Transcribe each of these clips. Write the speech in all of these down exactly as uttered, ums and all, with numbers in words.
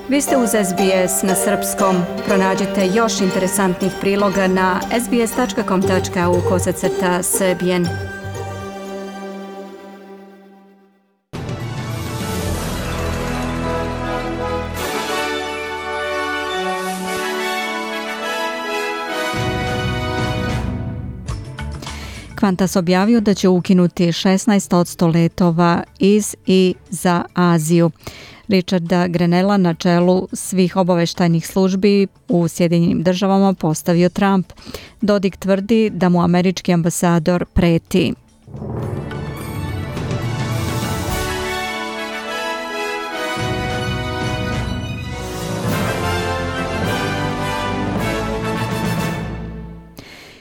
Vi ste uz S B S na srpskom. Pronađite još interesantnih priloga na sbs tačka com tačka au kosacrta srbijen. Qantas objavio da će ukinuti šesnaest posto letova iz i za Aziju. Richarda Grenella na čelu svih obaveštajnih službi u Sjedinjenim državama postavio Trump. Dodik tvrdi da mu američki ambasador preti.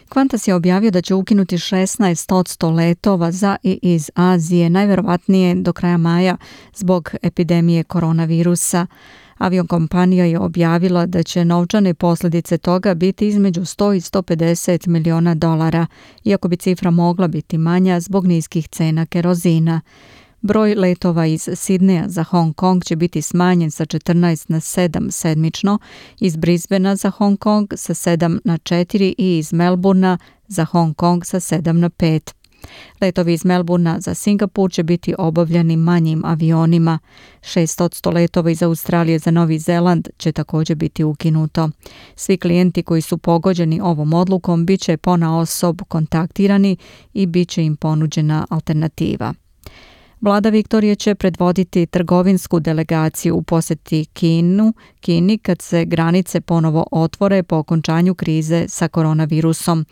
Qantas je objavio da će ukinuti šesnaest posto letova za i iz Azije, najverovatnije do kraja maja zbog epidemije koronavirusa. Aviokompanija je objavila da će novčane posljedice toga biti između sto i sto pedeset miliona dolara, iako bi cifra mogla biti manja zbog niskih cena kerozina. Broj letova iz Sidneja za Hong Kong će biti smanjen sa četrnaest na sedam sedmično, iz Brisbanea za Hong Kong sa sedam na četiri i iz Melbournea za Hong Kong sa sedam na pet. Letovi iz Melbournea za Singapur će biti obavljani manjim avionima. šest posto letova iz Australije za Novi Zeland će također biti ukinuto. Svi klijenti koji su pogođeni ovom odlukom bit će ponaosob kontaktirani i bit će im ponuđena alternativa. Vlada Viktorije će predvoditi trgovinsku delegaciju u posjeti Kinu, Kini kad se granice ponovo otvore po okončanju krize sa koronavirusom.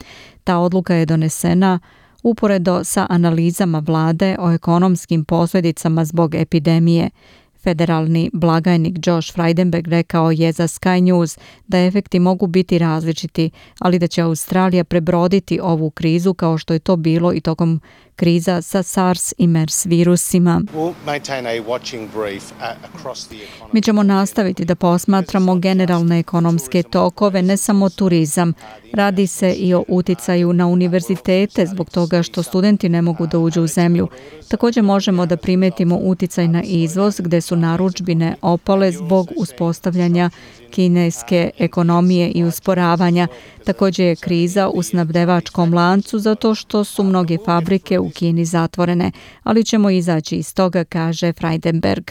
Ta odluka je donesena uporedo sa analizama vlade o ekonomskim posljedicama zbog epidemije. Federalni blagajnik Josh Frydenberg rekao je za Sky News da efekti mogu biti različiti, ali da će Australija prebroditi ovu krizu kao što je to bilo i tokom kriza sa SARS i MERS virusima. Mi ćemo nastaviti da posmatramo generalne ekonomske tokove, ne samo turizam. Radi se i o uticaju na univerzitete zbog toga što studenti ne mogu da uđu u zemlju. Također možemo da primetimo uticaj na izvoz gdje su narudžbine opale zbog uspostavljanja kineske ekonomije i usporavanja. Također je kriza u snabdevačkom lancu zato što su mnoge fabrike u Kini zatvorene, ali ćemo izaći iz toga, kaže Frydenberg.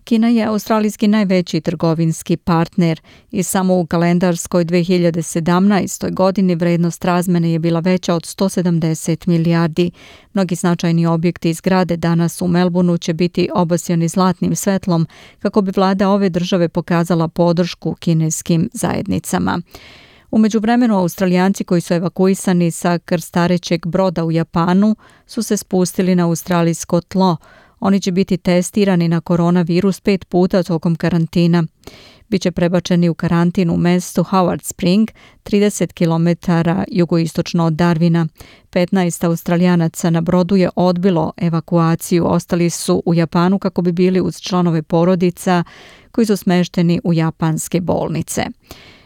Kina je australijski najveći trgovinski partner i samo u kalendarskoj dve hiljade sedamnaestoj. godini vrednost razmene je bila veća od sto sedamdeset milijardi. Mnogi značajni objekti iz zgrade danas u Melbourneu će biti obasjani zlatnim svetlom kako bi vlada ove države pokazala podršku kineskim zajednicama. U međuvremenu Australijanci koji su evakuisani sa krstarećeg broda u Japanu su se spustili na australijsko tlo. Oni će biti testirani na koronavirus pet puta tokom karantina. Biće prebačeni u karantin u mestu Howard Spring, trideset kilometara jugoistočno od Darwina. petnaest Australijanaca na brodu je odbilo evakuaciju. Ostali su u Japanu kako bi bili uz članove porodica koji su smešteni u japanske bolnice.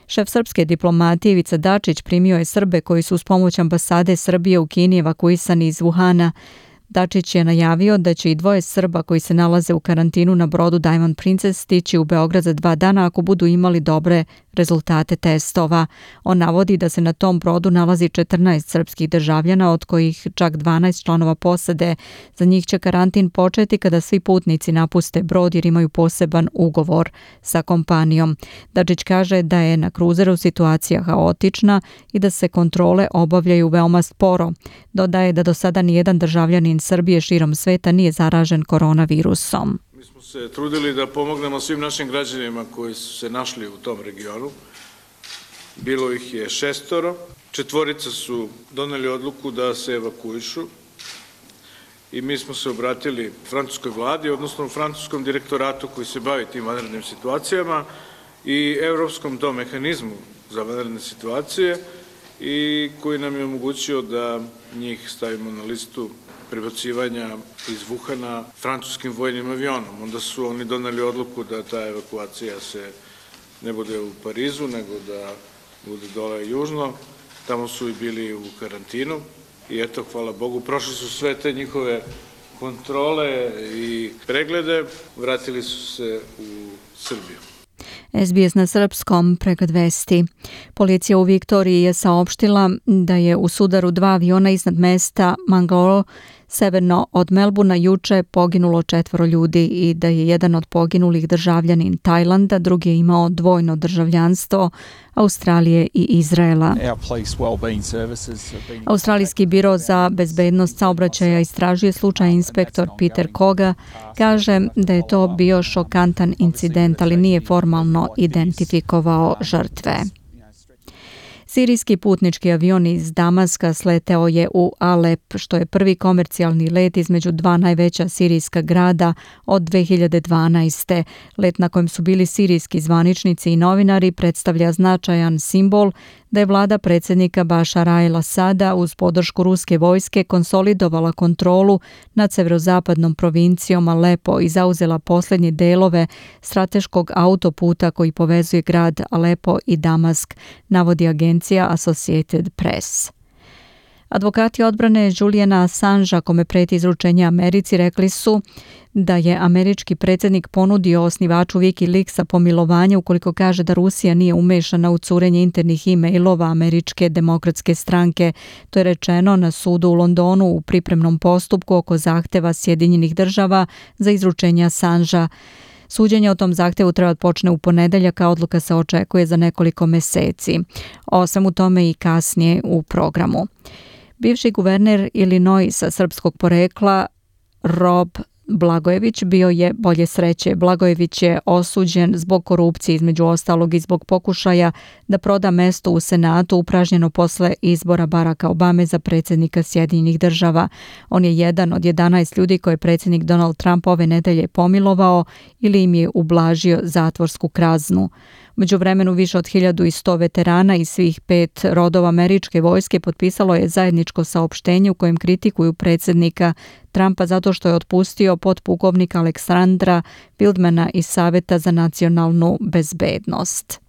Šef srpske diplomatije Ivica Dačić primio je Srbe koji su uz pomoć ambasade Srbije u Kini evakuisani iz Wuhana. Dačić je najavio da će i dvoje Srba koji se nalaze u karantinu na brodu Diamond Princess stići u Beograd za dva dana ako budu imali dobre rezultate testova. On navodi da se na tom brodu nalazi četrnaest srpskih državljana, od kojih čak dvanaest članova posade. Za njih će karantin početi kada svi putnici napuste brod jer imaju poseban ugovor sa kompanijom. Dačić kaže da je na kruzeru situacija haotična i da se kontrole obavljaju veoma sporo. Dodaje da do sada nijedan državljanin Srbije širom sveta nije zaražen koronavirusom. Mi smo se trudili da pomognemo svim našim građanima koji su se našli u tom regionu. Bilo ih je šestoro. Četvorica su doneli odluku da se evakuišu i mi smo se obratili francuskoj vladi, odnosno francuskom direktoratu koji se bavi tim vanrednim situacijama i Evropskom tom mehanizmu za vanredne situacije i koji nam je omogućio da njih stavimo na listu prebacivanja iz Wuhana francuskim vojnim avionom. Onda su oni doneli odluku da ta evakuacija se ne bude u Parizu, nego da bude dole južno. Tamo su i bili u karantinu i eto, hvala Bogu, prošli su sve te njihove kontrole i preglede, vratili su se u Srbiju. S B S na srpskom pregled vesti. Policija u Viktoriji je saopštila da je u sudaru dva aviona iznad mesta Mangalore severno od Melburna juče poginulo četvoro ljudi i da je jedan od poginulih državljanin Tajlanda, drugi je imao dvojno državljanstvo Australije i Izraela. Australijski biro za bezbednost saobraćaja istražuje slučaj. Inspektor Peter Koga kaže da je to bio šokantan incident, ali nije formalno identifikovao žrtve. Sirijski putnički avion iz Damaska sleteo je u Alep, što je prvi komercijalni let između dva najveća sirijska grada od dve hiljade dvanaeste. Let na kojem su bili sirijski zvaničnici i novinari predstavlja značajan simbol da je vlada predsjednika Bašara el-Asada uz podršku ruske vojske konsolidovala kontrolu nad severozapadnom provincijom Alepo i zauzela posljednje delove strateškog autoputa koji povezuje grad Alepo i Damask, navodi agencija Associated Press. Advokati odbrane Juliana Assangea, kome preti izručenje Americi, rekli su da je američki predsjednik ponudio osnivaču Wikileaksa pomilovanje ukoliko kaže da Rusija nije umešana u curenje internih e-mailova američke demokratske stranke. To je rečeno na sudu u Londonu u pripremnom postupku oko zahteva Sjedinjenih država za izručenje Assangea. Suđenje o tom zahtevu treba počne u ponedeljak, a odluka se očekuje za nekoliko meseci. O svemu tome i kasnije u programu. Bivši guverner Illinoisa srpskog porekla Rob Blagojević bio je bolje sreće. Blagojević je osuđen zbog korupcije, između ostalog i zbog pokušaja da proda mesto u Senatu upražnjeno posle izbora Baracka Obame za predsjednika Sjedinjenih država. On je jedan od jedanaest ljudi koje je predsjednik Donald Trump ove nedelje pomilovao ili im je ublažio zatvorsku kaznu. U međuvremenu više od hiljadu i sto veterana iz svih pet rodova američke vojske potpisalo je zajedničko saopštenje u kojem kritikuju predsjednika Trumpa zato što je otpustio potpukovnika Aleksandra Wildmana iz Saveta za nacionalnu bezbednost.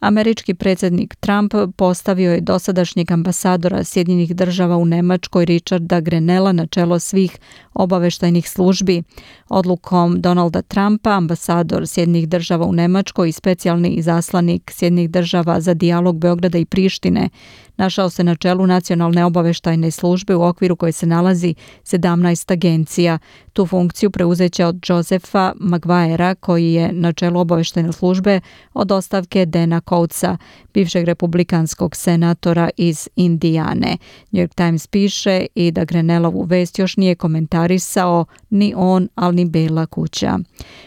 Američki predsjednik Trump postavio je dosadašnjeg ambasadora Sjedinjenih država u Nemačkoj Richarda Grenella na čelo svih obaveštajnih službi. Odlukom Donalda Trumpa ambasador Sjedinjenih država u Nemačkoj i specijalni izaslanik Sjedinjenih država za dijalog Beograda i Prištine našao se na čelu nacionalne obaveštajne službe u okviru koje se nalazi sedamnaest agencija. Tu funkciju preuzeće od Josepha Maguirea, koji je na čelu obaveštajne službe od ostavke Dana Coatesa, bivšeg republikanskog senatora iz Indijane. New York Times piše i da Grenellovu vest još nije komentarisao ni on, ali ni Bela kuća.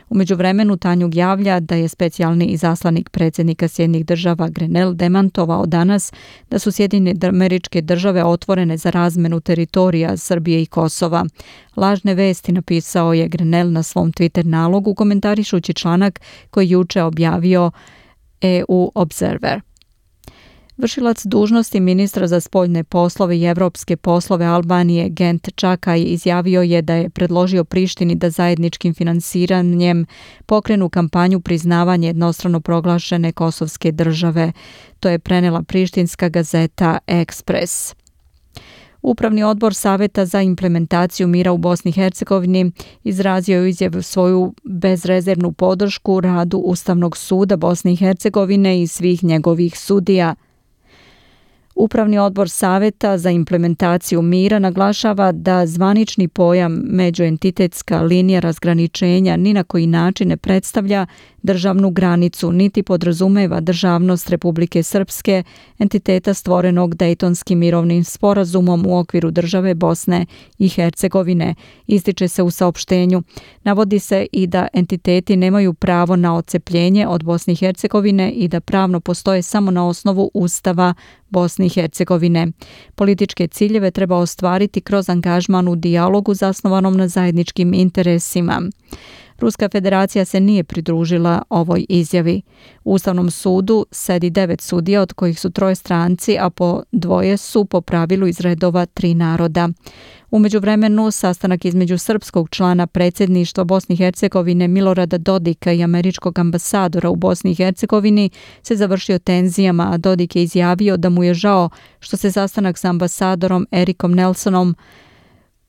U međuvremenu Tanjug javlja da je specijalni izaslanik predsjednika Sjedinjenih država Grenell demantovao danas da su Sjedinjene američke države otvorene za razmenu teritorija Srbije i Kosova. Lažne vesti, napisao je Grenell na svom Twitter nalogu komentarišući članak koji juče objavio E U Observer. Vršilac dužnosti ministra za spoljne poslove i evropske poslove Albanije Gent Čakaj izjavio je da je predložio Prištini da zajedničkim finansiranjem pokrenu kampanju priznavanja jednostrano proglašene kosovske države. To je prenela prištinska gazeta Ekspres. Upravni odbor Saveta za implementaciju mira u Bosni i Hercegovini izrazio je izjavu svoju bezrezervnu podršku radu Ustavnog suda Bosne i Hercegovine i svih njegovih sudija. Upravni odbor Saveta za implementaciju mira naglašava da zvanični pojam međuentitetska linija razgraničenja ni na koji način ne predstavlja državnu granicu, niti podrazumeva državnost Republike Srpske, entiteta stvorenog Dejtonskim mirovnim sporazumom u okviru države Bosne i Hercegovine, ističe se u saopštenju. Navodi se i da entiteti nemaju pravo na odcepljenje od Bosne i Hercegovine i da pravno postoje samo na osnovu Ustava Bosne i Hercegovine. Političke ciljeve treba ostvariti kroz angažman u dijalogu zasnovanom na zajedničkim interesima. Ruska federacija se nije pridružila ovoj izjavi. U Ustavnom sudu sedi devet sudija, od kojih su troje stranci, a po dvoje su po pravilu iz redova tri naroda. U međuvremenu, sastanak između srpskog člana predsjedništva Bosne i Hercegovine Milorada Dodika i američkog ambasadora u Bosni i Hercegovini se završio tenzijama, a Dodik je izjavio da mu je žao što se sastanak sa ambasadorom Erikom Nelsonom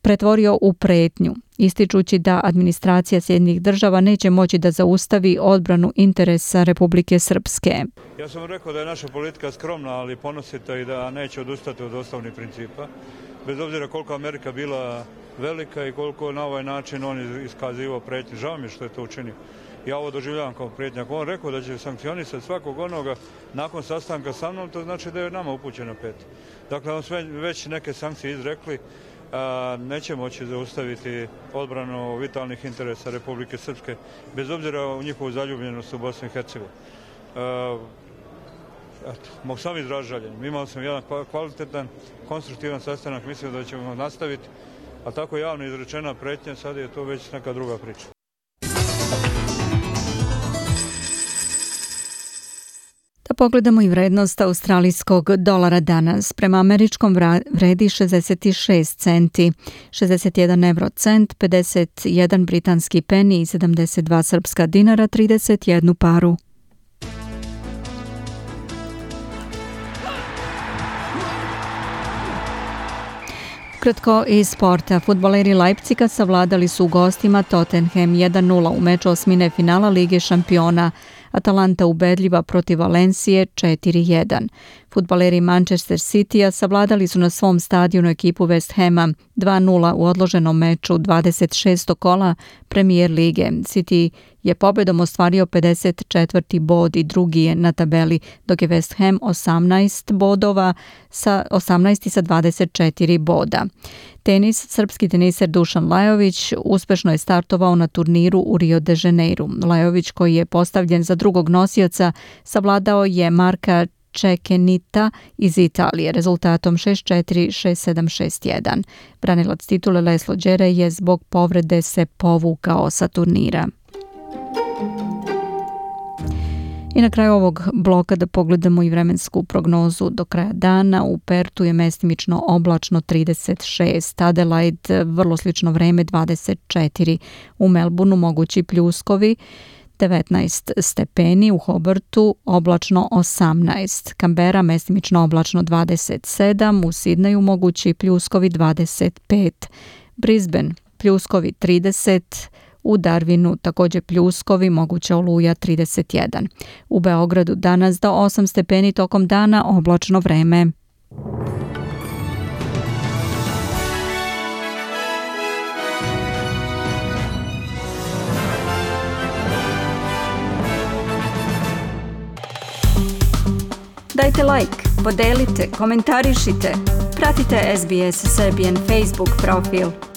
pretvorio u pretnju, ističući da administracija Sjedinjenih država neće moći da zaustavi odbranu interesa Republike Srpske. Ja sam rekao da je naša politika skromna, ali ponosita i da neće odustati od osnovnih principa. Bez obzira koliko Amerika bila velika i koliko na ovaj način on iskazivao pretnju. Žao mi je što je to učinio. Ja ovo doživljavam kao pretnju. Ako on rekao da će sankcionisati svakog onoga nakon sastanka sa mnom, to znači da je nama upućeno pet. Dakle, on sve već neke sankcije izrekli, a, neće moći zaustaviti odbranu vitalnih interesa Republike Srpske, bez obzira u njihovu zaljubljenost u Bosni i Hercegovini. Eto, mogu sam izražiti žaljenje. Imao sam jedan kvalitetan, konstruktivan sastanak, mislim da ćemo nastaviti, a tako javno izrečena pretnja, sad je to već neka druga priča. Da pogledamo i vrednost australijskog dolara danas. Prema američkom vredi šezdeset šest centi, šezdeset jedan euro cent, pedeset jedan britanski peni i sedamdeset dva srpska dinara, trideset jednu paru. Kratko iz sporta. Fudbaleri Leipziga savladali su u gostima Tottenham jedan nula u meču osmine finala Lige šampiona. Atalanta ubedljiva protiv Valencije četiri jedan. Fudbaleri Manchester Citya savladali su na svom stadionu ekipu West Hama dva nula u odloženom meču dvadeset šestog kola Premier lige. City je pobedom ostvario pedeset četvrti bod i drugi je na tabeli, dok je West Ham osamnaest bodova sa osamnaesti sa dvadeset četiri boda. Tenis, srpski teniser Dušan Lajović uspešno je startovao na turniru u Rio de Janeiru. Lajović, koji je postavljen za drugog nosioca, savladao je Marka Čekenita iz Italije rezultatom šest četiri, šest sedam, šest jedan. Branilac titule Leslo Đere je zbog povrede se povukao sa turnira. I na kraju ovog bloka da pogledamo i vremensku prognozu do kraja dana. U Pertu je mestimično oblačno trideset šest, Adelaide vrlo slično vreme dvadeset četiri, u Melbourneu mogući pljuskovi, devetnaest stepeni, u Hobartu oblačno osamnaest, Kambera mestimično oblačno dvadeset sedam, u Sidneju mogući pljuskovi dvadeset pet, Brisbane pljuskovi trideset, u Darwinu također pljuskovi, moguća oluja trideset jedan. U Beogradu danas do osam stepeni, tokom dana oblačno vreme. Dajte like, podelite, komentarišite. Pratite S B S Serbian Facebook profil.